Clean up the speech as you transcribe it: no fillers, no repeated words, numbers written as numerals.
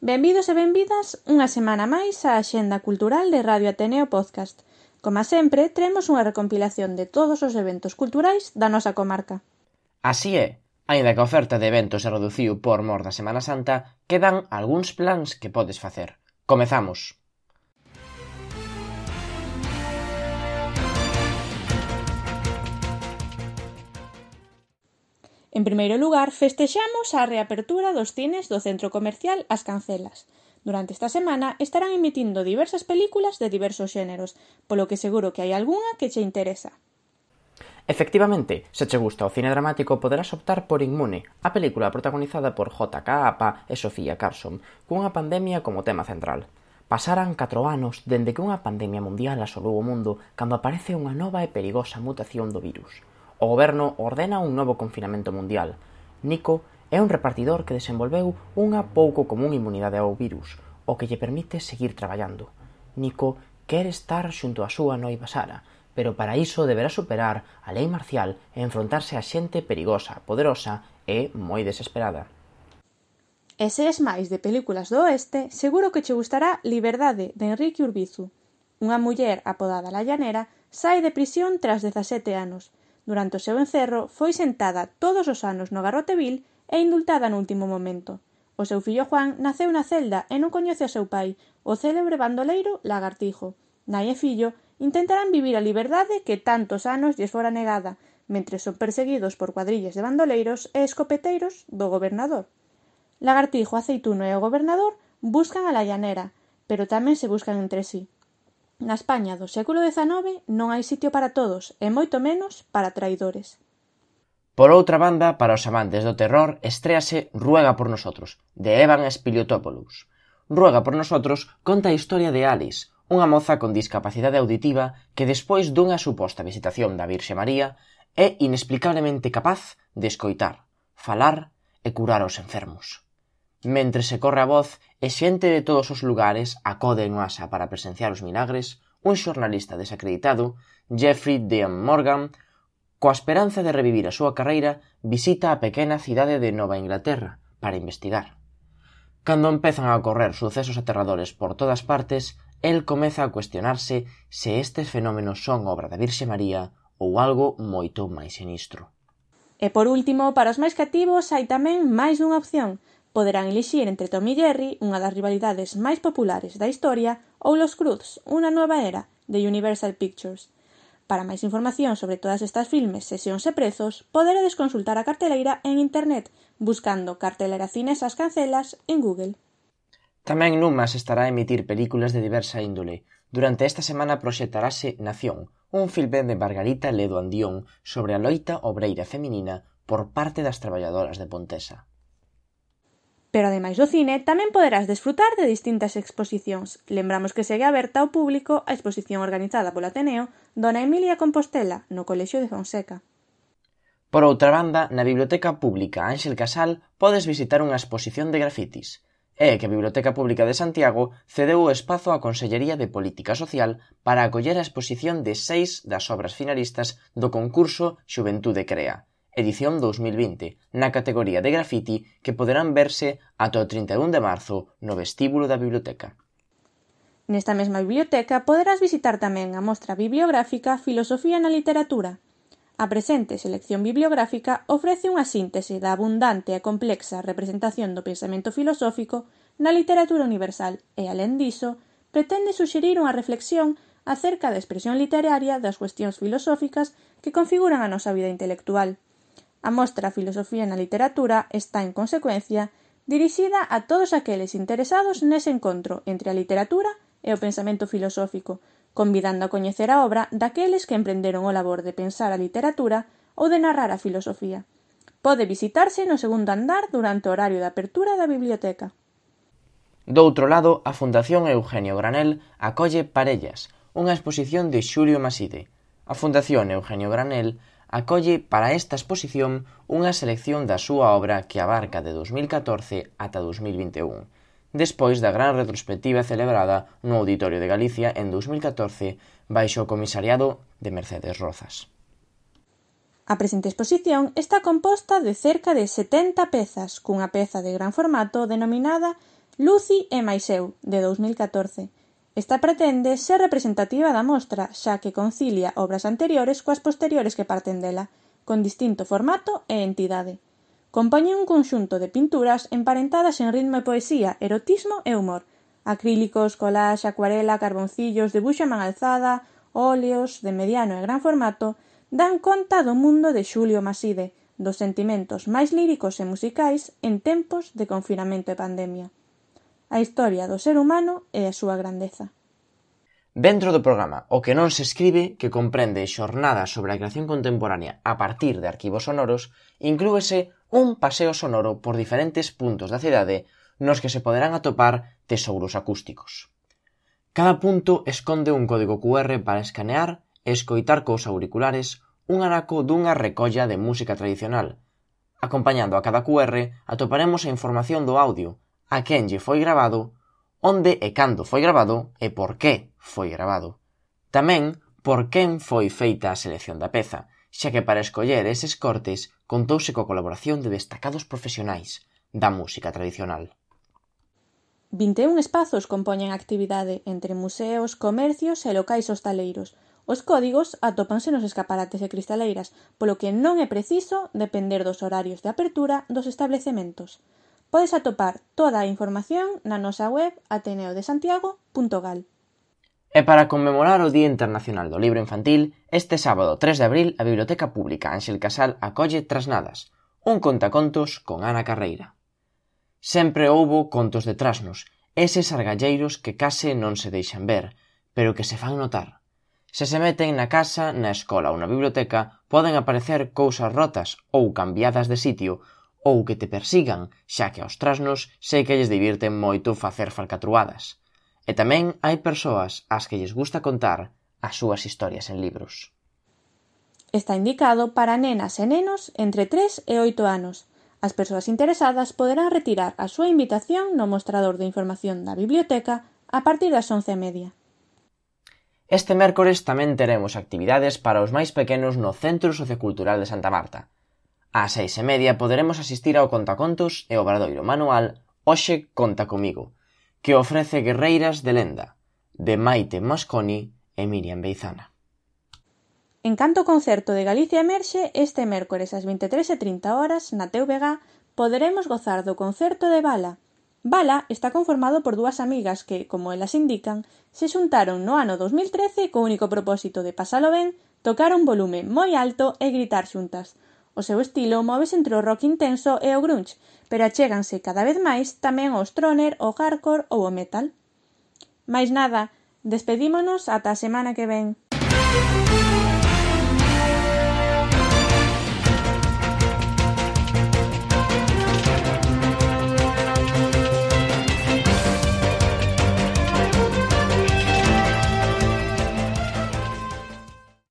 Benvidos e benvidas unha semana máis á Axenda Cultural de Radio Ateneo Podcast. Como sempre, traemos unha recompilación de todos os eventos culturais da nosa comarca. Así é, aínda que a oferta de eventos se reduciu por mor da Semana Santa, quedan algúns plans que podes facer. Comezamos! En primeiro lugar, festexamos a reapertura dos cines do centro comercial As Cancelas. Durante esta semana estarán emitindo diversas películas de diversos xéneros, polo que seguro que hai algunha que che interesa. Efectivamente, se che gusta o cine dramático poderás optar por Inmune, a película protagonizada por J.K. Apa e Sofía Carson, cunha pandemia como tema central. Pasaran 4 anos dende que unha pandemia mundial asolou o mundo cando aparece unha nova e perigosa mutación do virus. O goberno ordena un novo confinamento mundial. Nico é un repartidor que desenvolveu unha pouco común inmunidade ao virus, o que lle permite seguir traballando. Nico quere estar xunto a súa noiva Sara, pero para iso deberá superar a lei marcial e enfrontarse a xente perigosa, poderosa e moi desesperada. E se es máis de películas do oeste, seguro que che gustará Liberdade, de Enrique Urbizu. Unha muller apodada La Llanera sae de prisión tras 17 anos. Durante o seu encerro, foi sentada todos os anos no garrote vil e indultada no último momento. O seu fillo Juan naceu na celda e non coñece ao seu pai, o célebre bandoleiro Lagartijo. Nai e fillo intentarán vivir a liberdade que tantos anos lles fora negada, mentres son perseguidos por cuadrillas de bandoleiros e escopeteiros do gobernador. Lagartijo, Aceituno e o gobernador buscan a La Llanera, pero tamén se buscan entre sí. Na España do século XIX non hai sitio para todos e moito menos para traidores. Por outra banda, para os amantes do terror, estréase Ruega por nosotros, de Evan Spiliotopoulos. Ruega por nosotros conta a historia de Alice, unha moza con discapacidade auditiva que despois dunha suposta visitación da Virxe María é inexplicablemente capaz de escoitar, falar e curar os enfermos. Mentre se corre a voz e xente de todos os lugares acode en masa para presenciar os milagres, un xornalista desacreditado, Jeffrey Dean Morgan, coa esperanza de revivir a súa carreira, visita a pequena cidade de Nova Inglaterra para investigar. Cando empezan a ocorrer sucesos aterradores por todas partes, el comeza a cuestionarse se estes fenómenos son obra da Virxe María ou algo moito máis sinistro. E por último, para os máis cativos hai tamén máis dunha opción. Poderán elixir entre Tom e Jerry, unha das rivalidades máis populares da historia, ou Los Cruz, unha nova era, de Universal Pictures. Para máis información sobre todas estas filmes, sesións e prezos, poderedes consultar a carteleira en internet, buscando Cartelera Cines As Cancelas en Google. Tamén Numas estará a emitir películas de diversa índole. Durante esta semana proxectarase Nación, un filme de Margarita Ledo Andión sobre a loita obreira feminina por parte das traballadoras de Pontesa. Pero ademais do cine, tamén poderás desfrutar de distintas exposicións. Lembramos que segue aberta ao público a exposición organizada polo Ateneo Dona Emilia Compostela, no Colexio de Fonseca. Por outra banda, na Biblioteca Pública Ánxel Casal podes visitar unha exposición de grafitis. É que a Biblioteca Pública de Santiago cedeu o espazo á Consellería de Política Social para acoller a exposición de 6 das obras finalistas do concurso Xuventude Crea, edición 2020, na categoría de grafiti que poderán verse ata o 31 de marzo no vestíbulo da biblioteca. Nesta mesma biblioteca poderás visitar tamén a mostra bibliográfica Filosofía na literatura. A presente selección bibliográfica ofrece unha síntese da abundante e complexa representación do pensamento filosófico na literatura universal e, alén diso, pretende suxerir unha reflexión acerca da expresión literaria das cuestións filosóficas que configuran a nosa vida intelectual. A mostra Filosofía na literatura está, en consecuencia, dirixida a todos aqueles interesados nese encontro entre a literatura e o pensamento filosófico, convidando a coñecer a obra daqueles que emprenderon o labor de pensar a literatura ou de narrar a filosofía. Pode visitarse no segundo andar durante o horario de apertura da biblioteca. Doutro lado, a Fundación Eugenio Granel acolle Parellas, unha exposición de Xulio Maside. A Fundación Eugenio Granel acolle para esta exposición unha selección da súa obra que abarca de 2014 ata 2021, despois da gran retrospectiva celebrada no Auditorio de Galicia en 2014 baixo o comisariado de Mercedes Rozas. A presente exposición está composta de cerca de 70 pezas, cunha peza de gran formato denominada Lucy e máis eu, de 2014. Esta pretende ser representativa da mostra, xa que concilia obras anteriores coas posteriores que parten dela, con distinto formato e entidade. Compoñen un conxunto de pinturas emparentadas en ritmo e poesía, erotismo e humor, acrílicos, collage, acuarela, carboncillos, debuxo a man alzada, óleos de mediano e gran formato, dan conta do mundo de Xulio Maside, dos sentimentos máis líricos e musicais en tempos de confinamento e pandemia. A historia do ser humano e a súa grandeza. Dentro do programa O que non se escribe, que comprende xornadas sobre a creación contemporánea a partir de arquivos sonoros, inclúese un paseo sonoro por diferentes puntos da cidade nos que se poderán atopar tesouros acústicos. Cada punto esconde un código QR para escanear e escoitar cos auriculares un anaco dunha recolla de música tradicional. Acompañando a cada QR atoparemos a información do audio, a quen lle foi grabado, onde e cando foi grabado e por que foi grabado. Tamén por quen foi feita a selección da peza, xa que para escoller eses cortes contouse coa colaboración de destacados profesionais da música tradicional. 21 espazos compoñen a actividade entre museos, comercios e locais hostaleiros. Os códigos atópanse nos escaparates e cristaleiras, polo que non é preciso depender dos horarios de apertura dos establecementos. Podes atopar toda a información na nosa web ateneodesantiago.gal. E para conmemorar o Día Internacional do Libro Infantil, este sábado 3 de abril a Biblioteca Pública Ánxel Casal acolle Trasnadas, un contacontos con Ana Carreira. Sempre houbo contos de trasnos, eses argalleiros que case non se deixan ver, pero que se fan notar. Se se meten na casa, na escola ou na biblioteca, poden aparecer cousas rotas ou cambiadas de sitio, ou que te persigan, xa que aos trasnos sei que lles divirten moito facer falcatruadas. E tamén hai persoas ás que lles gusta contar as súas historias en libros. Está indicado para nenas e nenos entre 3 e 8 anos. As persoas interesadas poderán retirar a súa invitación no mostrador de información da biblioteca a partir das 11:30. Este mércores tamén teremos actividades para os máis pequenos no Centro Sociocultural de Santa Marta. Ás 6:30 poderemos asistir ao contacontos e obradoiro manual Hoxe conta comigo, que ofrece guerreiras de lenda, de Maite Mosconi e Miriam Beizana. En canto concerto de Galicia Emerxe, este mércores ás 23:30 na TVG poderemos gozar do concerto de Bala. Bala está conformado por dúas amigas que, como elas indican, se xuntaron no ano 2013 co único propósito de pasalo ben, tocar un volume moi alto e gritar xuntas. O seu estilo móvese entre o rock intenso e o grunge, pero achéganse cada vez máis tamén ao stoner, o hardcore ou o metal. Mais nada, despedímonos ata a semana que ven.